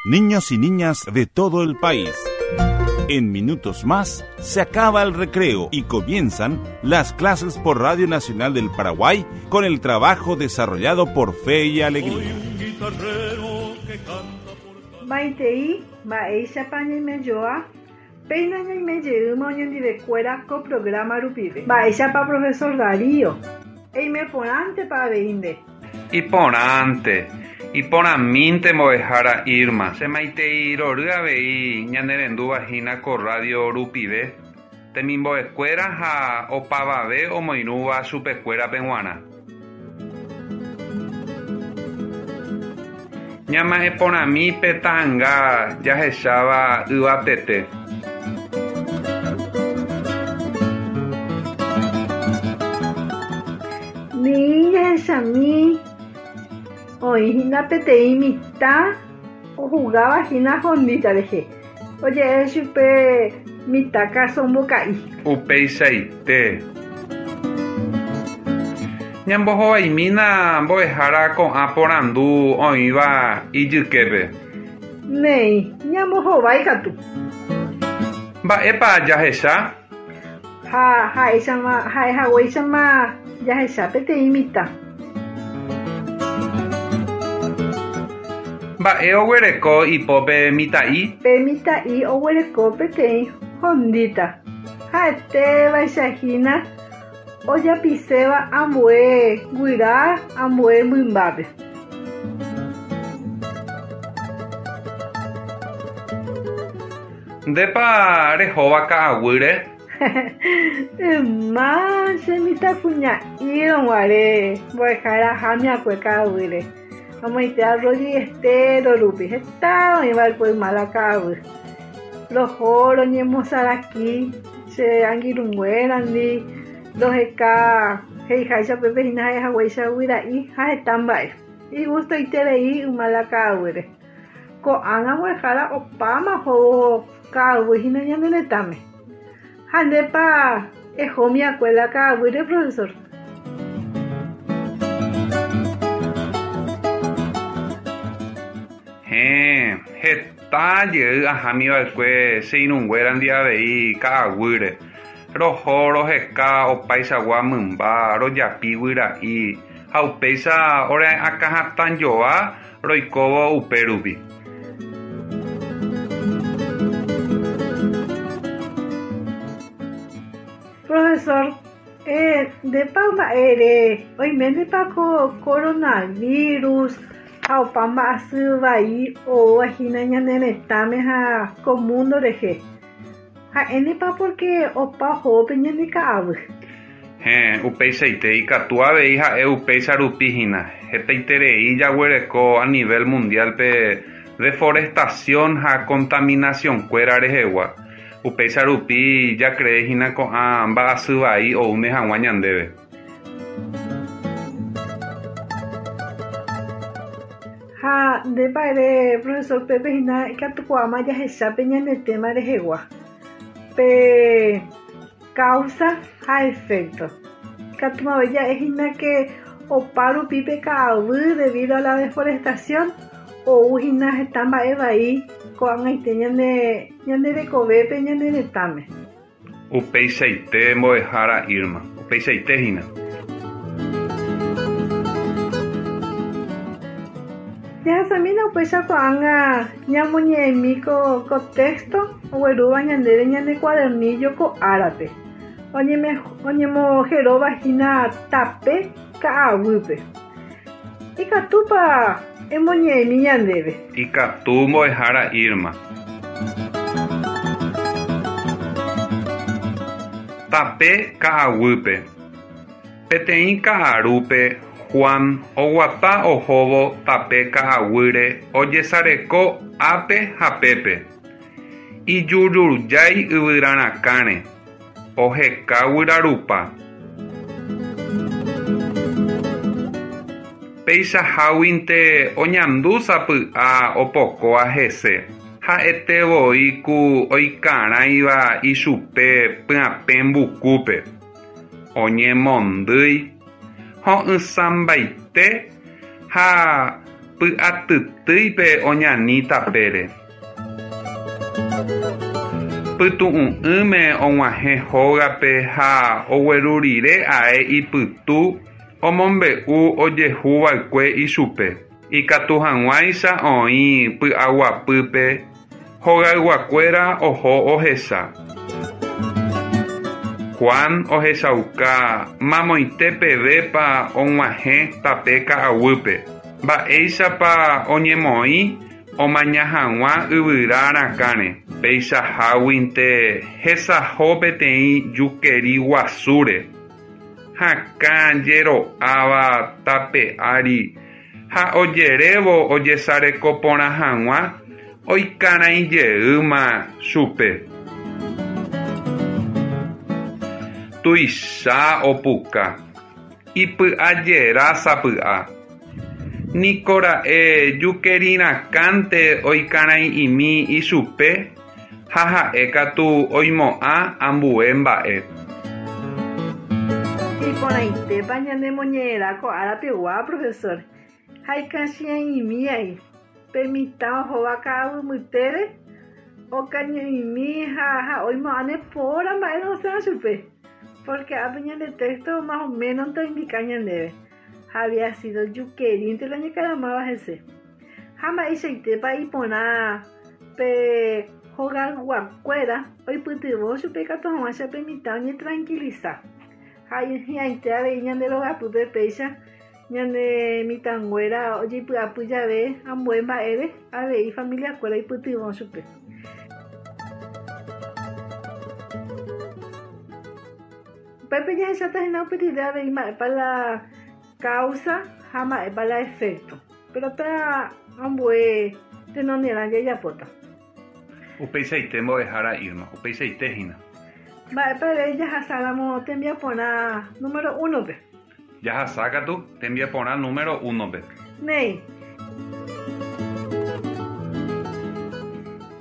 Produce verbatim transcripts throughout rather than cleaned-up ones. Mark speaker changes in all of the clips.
Speaker 1: Niños y niñas de todo el país. En minutos más se acaba el recreo y comienzan las clases por Radio Nacional del Paraguay con el trabajo desarrollado por Fe y Alegría.
Speaker 2: Maitei, mba'éichapa ñaimejoa, péina ñaimejeýma oñondivekuéra ko programa rupive. Mba'éichapa profesor Darío, eimeporãntepa avei nde.
Speaker 3: Iporãnte, iporãmínte mbo'ehára Irma. Che maitei rory avei ñanerenduvahína ko radio rupive, temimbo'ekuéra ha opavave omoirũva chupekuérape g̃uarã. Ñama'ẽporãmi pe ta'ãnga jahecháva yvatete.
Speaker 2: Ni jahechami oĩhína peteĩ mitã ohugavahína hondíta rehe. Oje'e chupe mitã kasomboka'i.
Speaker 3: Upeichaite. Ñambohovaimína mbo'ehára ko'ã porandu oĩva ijyképe.
Speaker 2: Néi, ñambohovái katu.
Speaker 3: Mba'épa jahecha?
Speaker 2: Ha ha'éichama ha'ehaguéichama jahecha peteĩ mitã.
Speaker 3: Mba'e oguereko ipópe mitã'i?
Speaker 2: Pe mitã'i oguereko peteĩ hondíta. Ha'etévaichahína ojapiséva ambue guyra ambue mymbápe.
Speaker 3: Ndépa rehóva ka'aguýre?
Speaker 2: Yma che mitãkuña'írõguare mbo'ehára ahámiakue ka'aguýre. Amoite arroyo y estero rupi heta oĩva'ekue yma la ka'aguy. Roho roñemosaraki che angirũnguérandi roheka he'iháicha upépe hína ha'ehaguéicha guyra'i ha heta mba'e. Igustoiterei yma la ka'aguýre. Ko'ág̃a mbo'ehára opáma ohóvo ka'aguy hína ñane retãme. Ha ndépa ehómiakue la ka'aguýre, profesor?
Speaker 3: Héẽ, heta jey ahámiva'ekue che irũnguérandi avei ka'aguýre. Roho roheka opaichagua mymba, rojapi guyra'i ha upéicha ore akãhatãjoa roikóvo upérupi.
Speaker 2: Profesor, eh, ndépa mba'ére oiménepa ko coronavirus ha opa mba'asy vai oúvahína ñane retãme ha ko mundo rehe. Ha'énepa porque opa ohópe ñande ka'aguy.
Speaker 3: Héẽ, upeichaite ikatu avei ha'e upéicha rupi hína. Hetaiterei jaguereko a nivel mundial pe deforestación ha contaminación-kuéra rehegua. Upéicha rupi jakrehína ko'ã mba'asy vai oúne hag̃ua ñandéve.
Speaker 2: Ha ndépa ere profesor Pepe hína ikatukuaáma jahechápe ñane tema rehegua. Pe causa ha efecto. Ikatúmave ja'ehína que opa rupi pe ka'aguy debido a la deforestación oúhína heta mba'e vai ko'ag̃aite ñane ñande rekovépe ñane retãme.
Speaker 3: Upeichaite mbo'ehára Irma. Upeichaite hína.
Speaker 2: Jahasamína upéicha ko'ág̃a ñamoñe'ẽmi ko ko texto oguerúva ñandéve ñane cuadernillo ko árape. Oñeme oñemojeróvahína tape ka'aguýpe. Ikatúpa emoñe'ẽmi ñandéve.
Speaker 3: Ikatu mbo'ehára Irma. Tape ka'aguýpe. Peteĩ ka'arúpe Juan oguata ohóvo tape ka'aguýre ojesareko ápe ha pépe. Ijurujái yvyrarakãre. Oheka guyrarupa. Peichaháguinte oñandu sapy'a opokóva hese. Ha'etevoi ku oikarãiva ichupe pyapẽ mbukúpe. Oñemondýi, ho'ysãmbaite ha Py'atytýipe oñani tapére. Pytu'u'ỹme og̃uahẽ hógape ha ogueru rire ae ipytu omombe'u ojehuva'ekue ichupe. Ikatuhag̃uáicha oĩ py'aguapýpe hogayguakuéra oho ohecha. Juan ohechauka mamoite pevépa og̃uahẽ tape ka'aguýpe, mba'éichapa oñemoĩ omaña hag̃ua yvyra rakãre, peichaháguinte hesaho peteĩ jukeri guasúre, hakãjero'áva tape ári ha ojerévo ojesareko porã hag̃ua oikarãijeýma chupe. Tuicha opuka, ipy'ajerásapy'a. Nikora'e jukerirãkãnte oikarãi'imi ichupe ha ha'ékatu oimo'ã ambue mba'e.
Speaker 2: Iporãitépa ñanemoñe'ẽrã ko árapegua, profesor. Ha ikachiã'imíai pe mitã ohóva ka'aguy mbytére okañy'imi ha ha oimo'ãne póra mba'e osẽva chupe. Porque ápe ñande texto más o menos indica ñandéve. Había sido jukerínte la oñekaramáva hese. Ha mba'eichaitépa iporã pe hogayguakuéra oipytyvõ chupe ikatu hag̃uáicha pe mitã oñetranquiliza. Ha hi'ãite avei ñande rogapýpe péicha ñane mitãnguéra ojeipy'apy jave ambue mba'ére avei familiakuéra oipytyvõ chupe. Upépe jahecháta hína upe rire avei mba'épa la causa ha mba'épa la efecto. Pero péa ambue tenonderã jajapóta.
Speaker 3: Upeichaite mbo'ehára Irma, upeichaite hína.
Speaker 2: Mba'épa ere jahasáramo tembiaporã número uno-pe.
Speaker 3: Jahasákatu tembiaporã número uno-pe.
Speaker 2: Néi.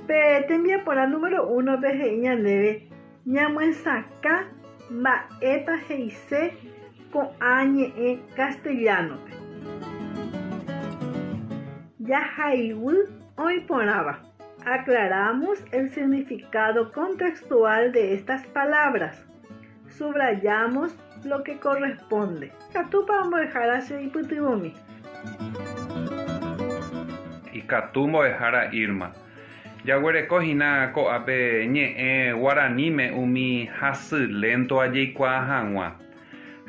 Speaker 2: Pe tembiaporã número uno-pe he'i ñandéve ñamyesakã mba'épa he'ise ko'ã ñe'ẽ castellano-pe. Jahaiguy oĩporãva. Aclaramos el significado contextual de estas palabras. Subrayamos lo que corresponde. Ikatúpa mbo'ehára che ipytyvõmi.
Speaker 3: Ikatu mbo'ehára Irma. Jaguereko hína ko'ápe ñe'ẽ guaraníme umi hasy lento ajeikuaa hag̃ua.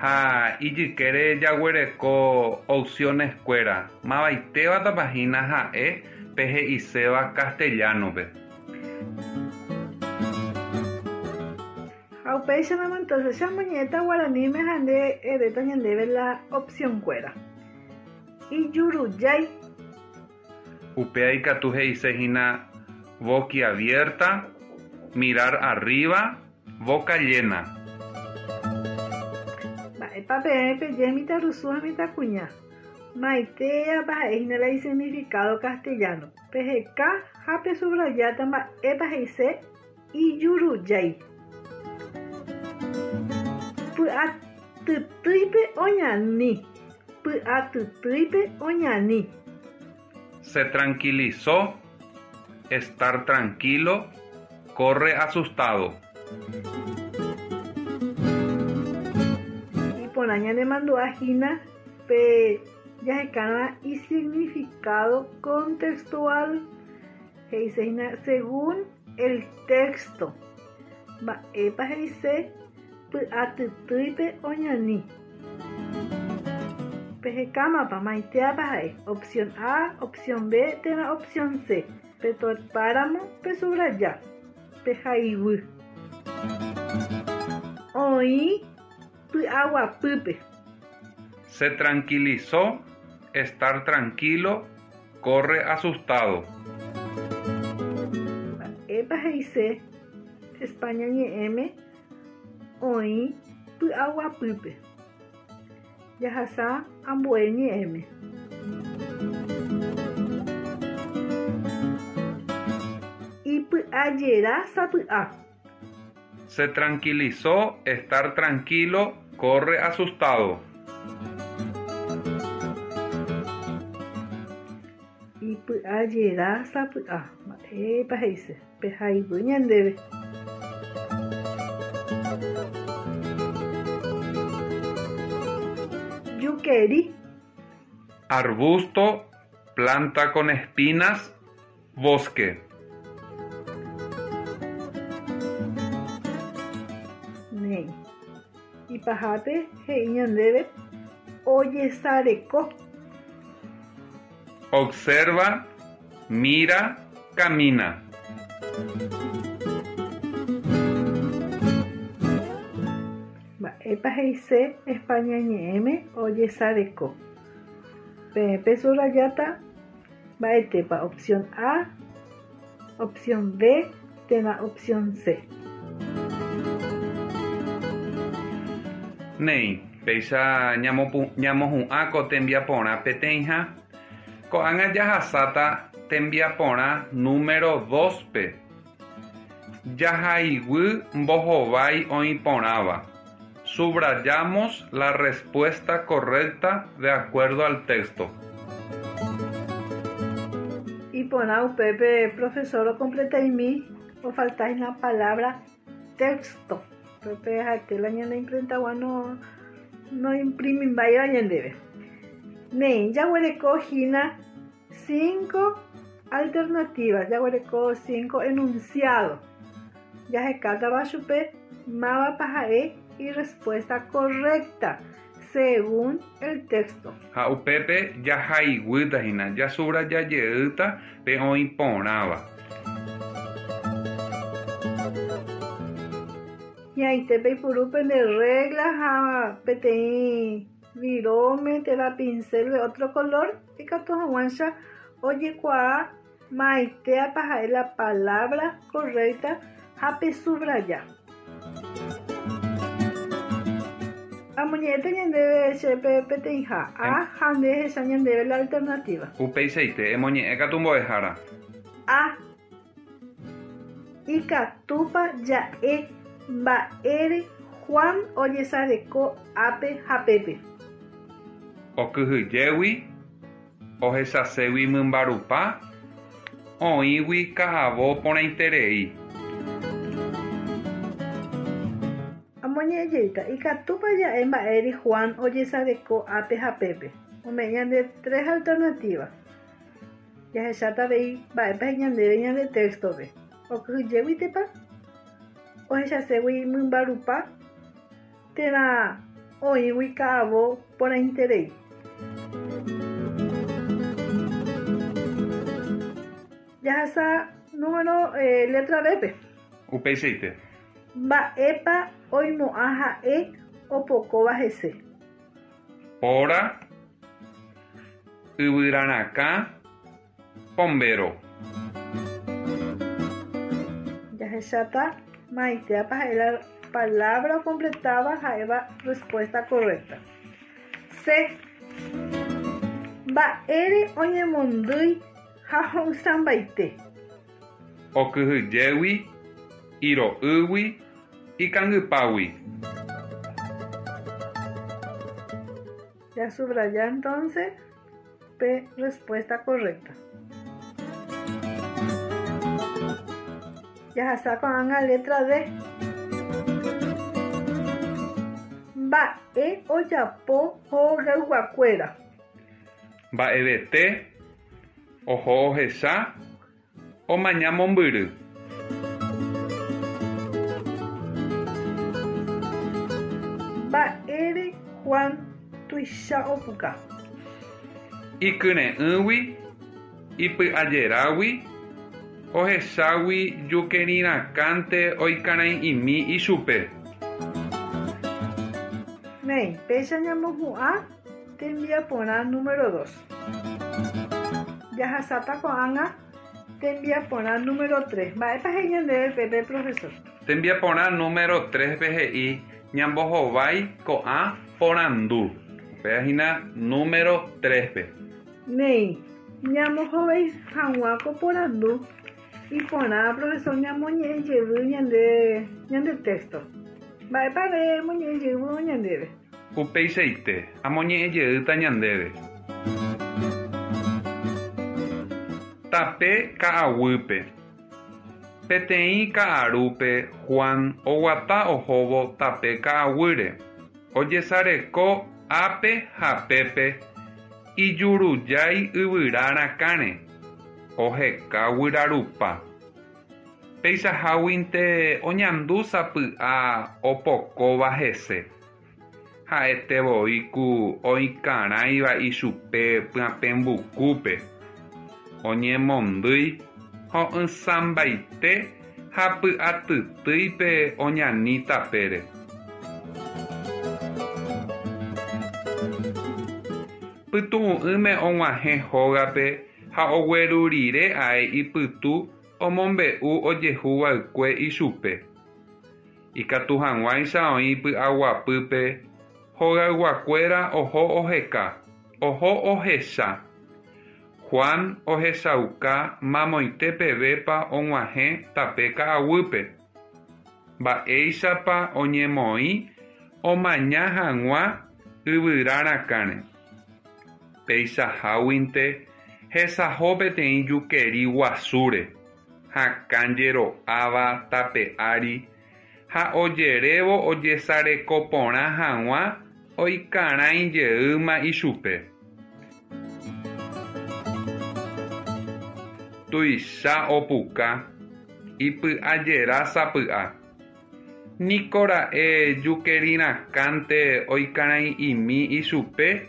Speaker 3: Ha ijykére jaguereko opciones-kuéra. Mavaitévatapa hína ha'e pe he'iséva castellano-pe.
Speaker 2: Ha upéicharamo entonces che amoñe'ẽta guaraníme ha nde eréta ñandéve la opción-kuéra. Ijurujái.
Speaker 3: Upéva ikatu he'ise hína boquiabierta, mirar arriba, boca llena.
Speaker 2: Mba'épa peẽ peje mitãrusu ha mitãkuña. Maitéapa ha'e hína la isignificado castellano. Peheka ha pesubrayáta mba'épa he'ise ijurujái. Py'atytýipe oñani. Py'atytýipe oñani.
Speaker 3: Se tranquilizó, estar tranquilo, corre asustado.
Speaker 2: Iporã ñanemandu'a hína pe jahekárõ isignificado contextual he'ise hína según el texto. Mba'épa he'ise py'atytýipe oñani. Pehekámapa maitéapa ha'e opción A, opción B térã opción C. Petopáramo pesubraya. Pehaiguy. Oĩ py'aguapýpe.
Speaker 3: Se tranquilizó, estar tranquilo, corre asustado.
Speaker 2: Mba'épa he'ise España ñe'ẽme oĩ py'aguapýpe. Jahasa ambue ñe'ẽme. Ipy'ajera sapy'a.
Speaker 3: Se tranquilizó, estar tranquilo, corre asustado.
Speaker 2: Chepy'ajera sapy'a. Mba'épa he'ise pehaiguy ñandéve. Jukeri.
Speaker 3: Arbusto, planta con espinas, bosque.
Speaker 2: Néi. Ipahápe he'i ñandéve ojesareko.
Speaker 3: Observa, mira, camina.
Speaker 2: Mba'épa he'ise España ñe'ẽme ojesareko. Peẽ pesubrajáta mba'etépa opción A, opción B térã opción C.
Speaker 3: Néi, péicha ñamohu'ã ko tembiaporã peteĩha. Ko'ág̃a jahasáta tembiaporã número dos-pe. Jahaiguy mbohovái oĩporãva. Subrayamos la respuesta correcta de acuerdo al texto.
Speaker 2: Iporã upépe profesor ocompleta'imi ofaltahína palabra texto. Upépe ha'ete la ñane imprentagua no noimprimimbáiva ñandéve. Néi, jaguerekohína cinco alternativas, jaguereko cinco enunciado. Jahekátava chupe mávapa ha'e y respuesta correcta según el texto.
Speaker 3: Ha upépe jahaiguýtahína, jasubrajajeýta pe oĩporãva.
Speaker 2: Ñaite peipuru pende regla ha peteĩ viróme térã pincel de otro color ikatu hag̃uáicha ojekuaa maitéapa ha'e la palabra correcta ha pesubraja. Amoñe'ẽta ñandéve chépe peteĩha A ha nde ehecha ñandéve la alternativa.
Speaker 3: Upeichaite emoñe'ẽkatu mbo'ehára.
Speaker 2: A. Ikatúpa ja'e mba'ére Juan ojesareko ápe ha pépe.
Speaker 3: Okyhyjégui, ohechaségui mymba rupa, oĩgui ka'avo porãiterei.
Speaker 2: Amoñe'ẽjeýta ikatúpa ja'e mba'ére Juan ojesareko ápe ha pépe. Ome'ẽ ñande tres alternativas. Jahecháta avei mba'épa he'i ñandéve ñande texto-pe. Okyhyjéguitepa, ohechaségui mymba rupa térã oĩgui ka'avo porãiterei. Jahasa número eh, letra B-pe.
Speaker 3: Upeichaite.
Speaker 2: Mba'épa oimo'ã ha'e opokóva hese.
Speaker 3: Póra, yvyrarakã, pombéro.
Speaker 2: Jahecháta maitéapa ha'e la palabra completada ha'éva respuesta correcta. C. Mba'ére oñemondýi ha ho'ysãmbaite.
Speaker 3: Okyhyjégui, iro'ýgui, ikangypágui.
Speaker 2: Ya subraya entonces P respuesta correcta. Jahasa ko'ág̃a letra D. Mba'e ojapo hogayguakuéra.
Speaker 3: Mba'evete, oho ohecha, omaña mombyry.
Speaker 2: Mba'ére Juan tuicha opuka.
Speaker 3: Ikyre'ỹgui, ipy'ajerágui, ohechágui jukerirãkánte oikarãi'imi ichupe.
Speaker 2: Néi, péicha ñamohu'ã tembiaporã número dos. Jahasáta ko'ág̃a tembiaporã número tres. Mba'épa he'i ñandéve pépe, profesor?
Speaker 3: Tembiaporã número tres-pe he'i ñambohovái ko'ã porandu. Upéva número tres-pe.
Speaker 2: Néi, ñambohovái hag̃ua ko porandu iporã profesor ñamoñe'ẽjevy ñande ñande texto. Mba'épa remoñe'ẽjevy ñandéve.
Speaker 3: Upeichaite amoñe'ẽjeýta ñandéve. Tape ka'aguýpe. Peteĩ ka'arúpe Juan oguata ohóvo tape ka'aguýre. Ojesareko ápe ha pépe ijurujái yvyra rakãre oheka guyra rupa. Peichaháguinte oñandu sapy'a opokóva hese. Ha'etevoi ku oikarãiva ichupe pyapẽmbukúpe. Oñemondýi ho'ysãmbaite ha py'atytýipe oñani tapére. Pytu'u'ỹme og̃uahẽ hógape ha ogueru rire ae ipytu omombe'u ojehuva'ekue ichupe. Ikatu hag̃uáicha oĩ py'aguapýpe hogayguakuéra oho oheka, oho ohecha. Juan ohechauka mamoite pevépa og̃uahẽ tape ka'aguýpe. Mba'éichapa oñemoĩ omaña hag̃ua yvyra rakãre. Peichaháguinte hesaho peteĩ jukeri guasúre, hakãjero'áva tape ári ha ojerévo ojesareko porã hag̃ua oikarãijeýma ichupe. Tuicha opuka, ipy'ajerásapy'a. Nikora'e jukerirãkãnte oikarãi'imi ichupe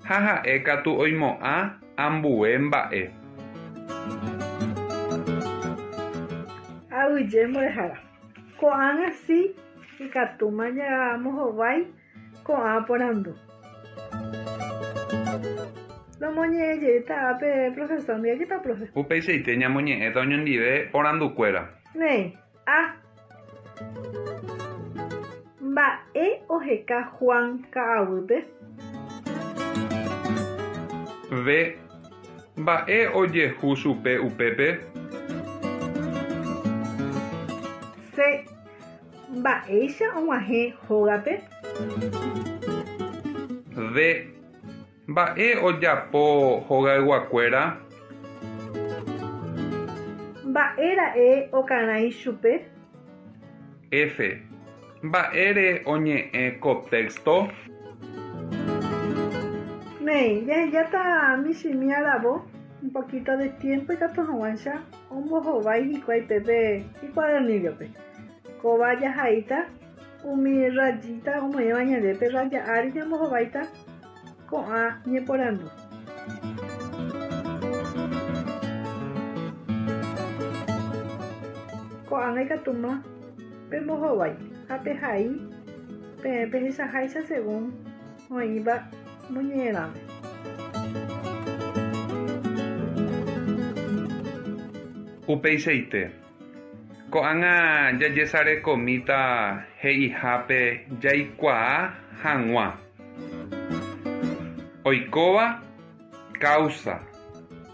Speaker 3: ha ha'ékatu oimo'ã ambue mba'e.
Speaker 2: Aguyje mbo'ehára. Ko'ág̃a si ikatúma ñamohovái ko'ã porandu. Romoñe'ẽjeýta ápe profesor ndive profe.
Speaker 3: Upeichaite ñamoñe'ẽta oñondive porandukuéra.
Speaker 2: Néi, A. Mba'e oheka Juan ka'aguýpe?
Speaker 3: B. Mba'e ojehu chupe upépe?
Speaker 2: C. Mba'éicha og̃uahẽ hógape?
Speaker 3: D. Mba'e ojapo hogayguakuéra?
Speaker 2: Mba'éra'e okarãi chupe?
Speaker 3: F. Mba'ére oñe'ẽ ko texto?
Speaker 2: Néi, jahejáta michĩmi aravo un poquito de tiempo ikatu hag̃uáicha ombohovái hikuái pépe icuadernillo-pe. Kóva jahaíta umi rayita omoĩva ñandéve raya ári ñambohováita ko'ã ñeporandu. Ko'ág̃a ikatúma pembohovái ha pehai peẽ pehechaháicha según oĩva moñe'ẽrãme.
Speaker 3: Upeichaite. Ko'ág̃a jajesarekomíta he'ihápe jaikuaa hag̃ua. Oikóva causa.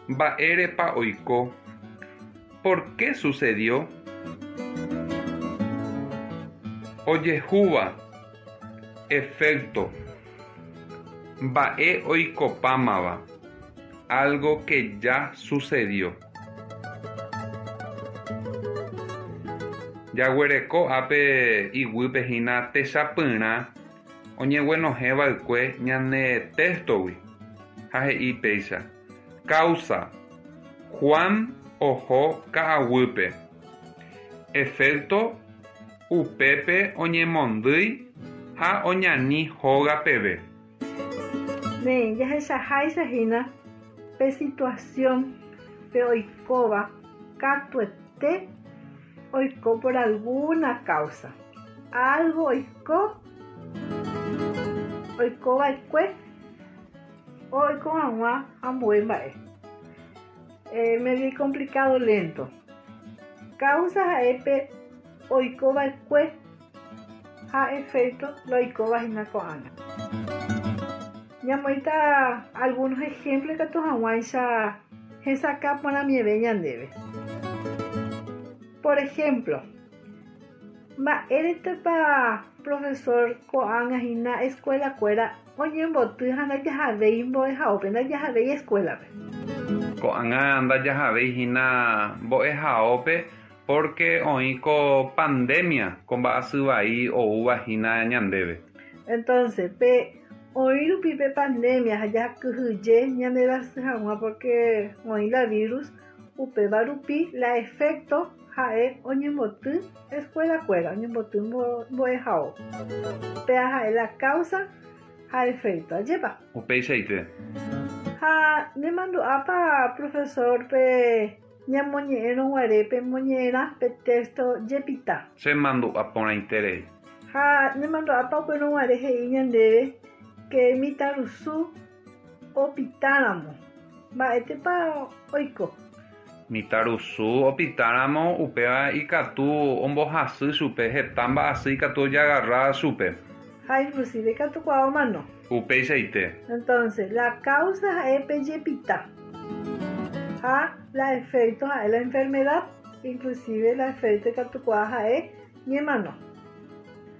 Speaker 3: Mba'érepa oiko. ¿Por qué sucedió? Ojehúva efecto. Mba'e oikopámava. Algo que ya sucedió. Jaguereko ápe iguýpe hína techapyrã oñeguenohẽva'ekue ñane textogui ha he'i péicha. Causa. Juan oho ka'aguýpe. Efecto. Upépe oñemondýi ha oñani hóga peve.
Speaker 2: Néi, jahechaháicha hína pe situación pe oikóva katuete oiko por alguna causa. Algo oiko, oikova'ekue oiko hag̃ua ambue mba'e. Eh, medio complicado lento. Causa ha'e pe oikova'ekue ha efecto lo oikóva hína ko'ág̃a. Ñamoĩta algunos ejemplos ikatu hag̃uáicha hesakã porãmieve ñandéve. Por ejemplo, mba'éretepa profesor ko'ág̃a hína escuela-kuéra oñemboty ha ndajahavéi mbo'ehaópe, ndajahavéi escuela-pe.
Speaker 3: Ko'ág̃a ndajahavéi hína mbo'ehaópe porque oĩ ko pandemia ko mba'asy vai oúva hína ñandéve.
Speaker 2: Entonces, pe oĩ rupi pe pandemia ha jakyhyje ñanderasy hag̃ua porque oĩ la virus upéva rupi la efecto ha'e oñemboty escuela-kuéra, oñemboty mbo'ehao. Péa ha'e la causa ha efecto, ajépa?
Speaker 3: Upeichaite.
Speaker 2: Ha nemandu'ápa profesor pe ñamoñe'ẽrõ guare pe moñe'ẽrã pe texto jepita.
Speaker 3: Chemandu'a porãiterei.
Speaker 2: Ha nemandu'ápa upérõ guare he'i ñandéve que mitãrusu opitáramo. Mba'étepa oiko?
Speaker 3: Mitãrusu opitáramo upéva ikatu ombohasy chupe heta mba'asy ikatu ojagarra chupe.
Speaker 2: Ha inclusive katu kuaa omano.
Speaker 3: Upeichaite.
Speaker 2: Entonces, la causa ha'e pe jepita. Ha la efecto ha'e la enfermedad, inclusive la efecto ikatu kuaa ha'e ñemano.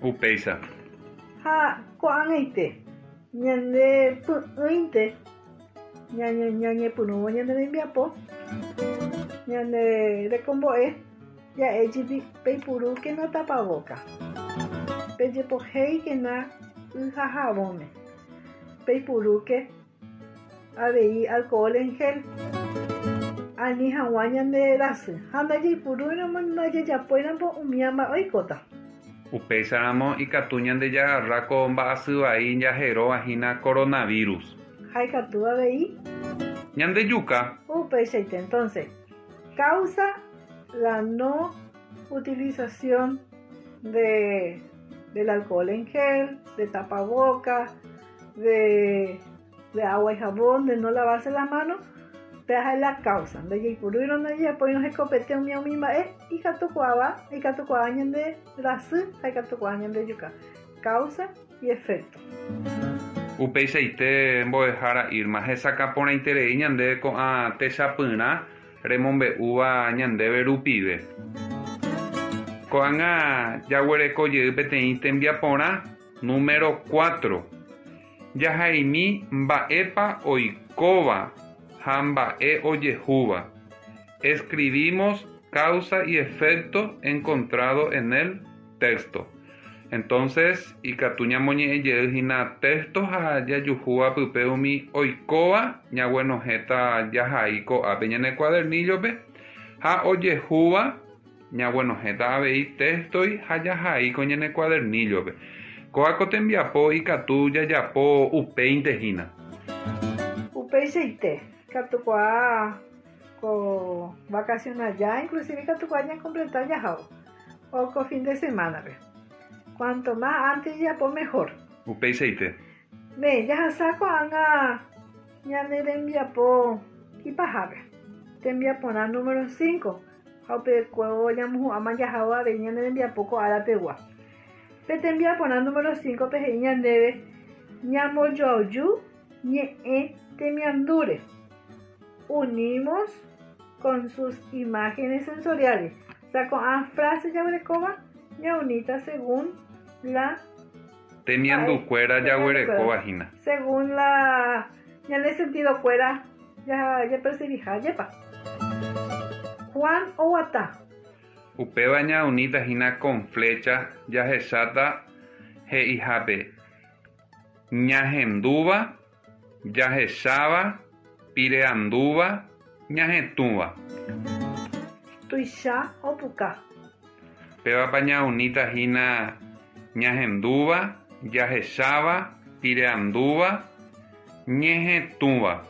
Speaker 3: Upéicha.
Speaker 2: Ha ko'ag̃aite ñande py'ỹinte ñañe ñañepyrũvo ñane rembiapo ñane rekombo'e ja'éjepi peipurúkena tapaboca, pejepohéikena y ha javóme, peipurúke avei alcohol en gel ani hag̃ua ñande rasy ha ndajaipurúiramo ndajajapóiramo umi mba'e oikóta.
Speaker 3: Upéicharamo ikatu ñande jagarra ko mba'asy vai jaheróva hína coronavirus.
Speaker 2: Ha ikatu avei
Speaker 3: ñandejuka.
Speaker 2: Upeichaite. Entonces, causa la no utilización de, del alcohol en gel, de tapaboca, de, de agua y jabón, de no lavarse las manos, péa la causa. Ndajaipurúirõ ndajajapóirõ hekopete umi umi mba'e ikatukuaáva, ikatukuaa ñande rasy ha ikatukuaa ñandejuka. Causa y efecto.
Speaker 3: Upeichaite mbo'ehára Irma hesakã porãiterei ñande ko'ã techapyrã remombe'úva ñandéve rupive. Ko'ág̃a jaguereko jey peteĩ tembiaporã número cuatro. Jahaimi mba'épa oikóva ha mba'e ojehúva. Escribimos causa y efecto encontrado en el texto. Entonces, ikatu ñamoñe'ẽ jey hína texto ha jajuhúva pype umi oikóva ñaguenohẽta jahai ko'ápe ñane cuadernillo-pe ha ojehúva ñaguenohẽta avei textoi ha jahai ko ñane cuadernillo-pe. Kóa ko tembiapo ikatu jajapo upéinte hína.
Speaker 2: Upeichaite, ikatukuaa ko vacación aja, inclusive ikatukuaa ñacompletar jahao o ko fin de semana-pe. Cuanto más antes jajapo mejor.
Speaker 3: Upeichaite.
Speaker 2: Ne, jahasa ko'ág̃a ñane rembiapo ipahápe. Tembiaporã número cinco. Ha upekuévo ñamohu'ãma jahao avei ñane rembiapo ko árapegua. Pe tembiaporã número cinco pe he'i ñandéve ñambojoaju ñe'ẽ temiandúre. Unimos con sus imágenes sensoriales. O sea, ko'ã frase jaguerekóva ñaunita según la
Speaker 3: temiandukuéra jaguerekóva hína.
Speaker 2: Según la ñane sentido kuéra ya ya percibija jepa. Juan oguata.
Speaker 3: Upéva ñaunita hína con flecha jahecháta he'ihápe ñahendúva, jahecháva, pireandúva, ñahetũva.
Speaker 2: Tuicha opuka.
Speaker 3: Pévapa ñaunita hína ñahendúva, jahecháva, pireandúva, ñehetũva.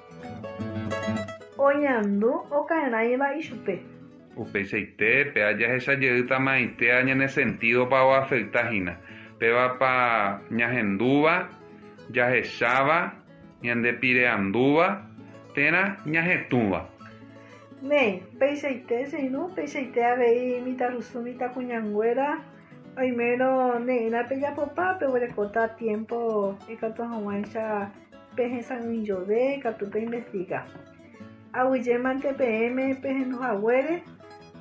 Speaker 2: Oñandu okaerãiva ichupe.
Speaker 3: Upeichaite péa jahechajeytamaite ñane sentido pa oafecta hína. Pévapa ñahendúva, jahecháva, ñande pireandúva, térã ñahetũva.
Speaker 2: Néi, peichaite cheirũ, peichaite avei mitãrusu mitãkuñanguéra oimérõ ne'ĩra pejapopa peguerekóta tiempo ikatu hag̃uáicha pehesa'ỹijove ikatu peinvestiga. Aguyjémante peẽme pehenduhaguére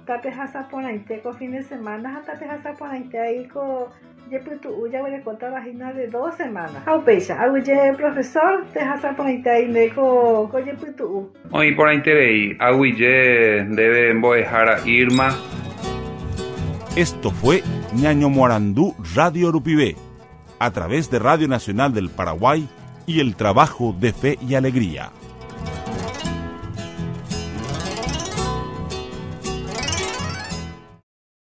Speaker 2: tapehasaporãite ko fin de semana ha tapehasaporãite aí ko Jepytu'u jaguerekótava hína de dos semanas. Ha upéicha, aguyje profesor, tehasaporãite nde ko, ko jepytu'u.
Speaker 3: Oĩ porãiterei, aguyje ndéve mbo'ehára Irma.
Speaker 1: Esto fue Ñañomoarandú Radio Rupive, a través de Radio Nacional del Paraguay y el trabajo de Fe y Alegría.